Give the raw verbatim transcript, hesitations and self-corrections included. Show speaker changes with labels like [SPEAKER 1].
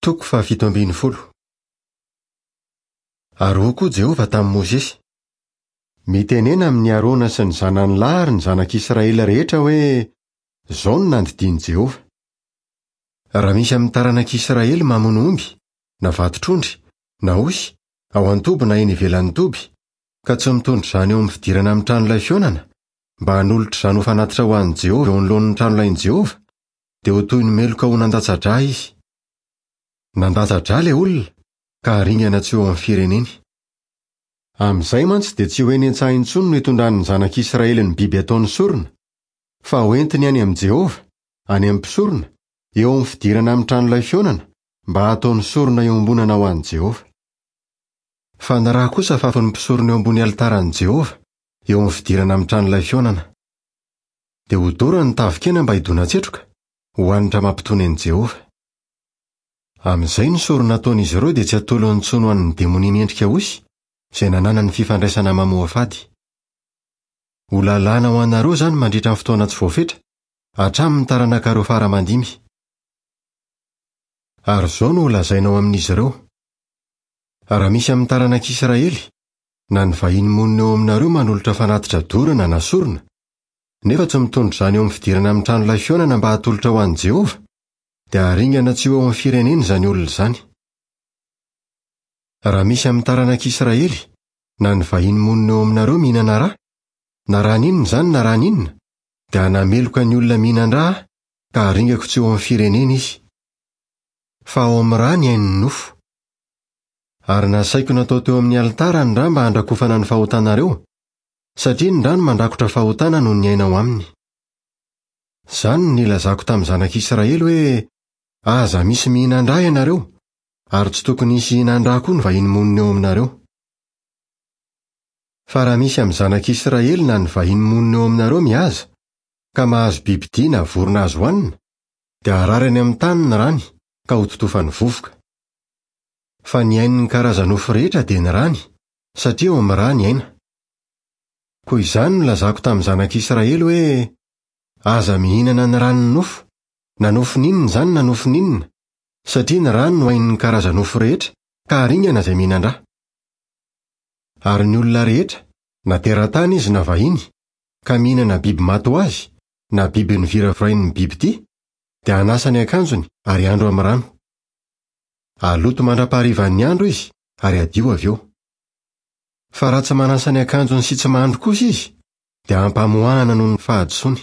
[SPEAKER 1] Toko fahafito ambin'ny folo. Ary hoy koa Jehovah tamin'i Mosesy: Mitenena amin'i Arona sy ny zanany lahy ary ny zanak'Israely rehetra hoe: Izao no nandidian'i Jehovah. Raha misy amin'ny taranak'Israely mamono omby, na vatotr'ondry, na osy, ao an-toby na eny ivelan'ny toby, ka tsy mitondra izany eo amin'ny fidirana amin'ny tranolay fihaonana, mba hanolotra izany ho fanatitra ho an'i Jehovah eo anoloan'ny tranolain'i Jehovah, dia ho toy ny meloka ho nandatsa-drà izy. Nandatsa-drà ilay olona, ka haringana tsy eo amin'ny fireneny. Amin'izay mantsy dia tsy ho eny an-tsaha intsony no hitondran'ny zanak'Israely ny biby ataony sorona, fa hoentiny any amin'i Jehovah, any amin'ny mpisorona, eo amin'ny fidirana amin'ny tranolay fihaonana, mba hataony sorona iombonana ho an'i Jehovah. Fa ny rà kosa fafin'ny mpisorona eo ambony alitaran'i Jehovah, eo amin'ny fidirana amin'ny tranolay fihaonana. Dia hodorany ny tavin-kena mba hidona-tsetroka, ho hanitra mampitony an'i Jehovah. Amin'izay ny sorona ataon'izy ireo dia tsy atolony intsony ho an'ny demonia miendrika osy, izay nananany fifandraisana mamoafady. Ho lalàna ho anareo izany mandritra ny fotoana tsy voafetra, hatramin'ny taranakareo fara aman-dimy. Ary izao no holazainao amin'izy ireo: Raha misy amin'ny taranak'Israely, na ny vahiny monina eo aminareo manolotra fanatitra dorana na sorona, nefa tsy mitondra izany eo amin'ny fidirana amin'ny tranolay fihaonana mba hatolotra ho an'i Jehovah, dia haringana tsy ho eo amin'ny firenena izany olona izany. Raha misy amin'ny taranak'Israely, na ny vahiny monina eo aminareo mihinana rà, na rà n'inona izany na rà n'inona, dia hanameloka ny olona mihinan-drà aho, ka haringako tsy eo amin'ny firenena izy. Fa ao amin'ny rà ny ain'ny nofo. Ary nasaiko natao teo amin'ny alitara ny rà mba handrakofana ny fahotanareo, satria ny rà no mandrakotra fahotana noho ny aina ao aminy. Izany no nilazako tamin'ny zanak'Israely hoe: Aza misy mihinan-drà ianareo, ary tsy tokony hisy hihinan-drà koa ny vahiny monina eo aminareo. Fa raha misy amin'ny zanak'Israely na ny vahiny monina eo aminareo mihaza, ka mahazo bibidia na vorona azo hohanina, dia hararany amin'ny tany ny rany, ka hototofany vovoka. Fa ny ain'ny karaza-nofo rehetra dia ny rany, satria ao amin'ny rà ny aina. Koa izany no nilazako tamin'ny zanak'Israely hoe: Aza mihinana ny ran'ny nofo, na nofon'inona izany na nofon'inona, satria ny rany no ain'ny karaza-nofo rehetra, ka haringana izay mihinan-drà. Ary ny olona rehetra, na teratany izy na vahiny, ka mihinana biby maty ho azy, na biby noviravirain'ny bibidia, dia hanasa ny akanjony ary handro amin'ny rano. Haloto mandra-paharivan'ny andro izy ary hadio avy eo. Fa raha tsy manasa ny akanjony sy tsy mandro kosa izy, dia hampamoahana noho ny fahadisoany.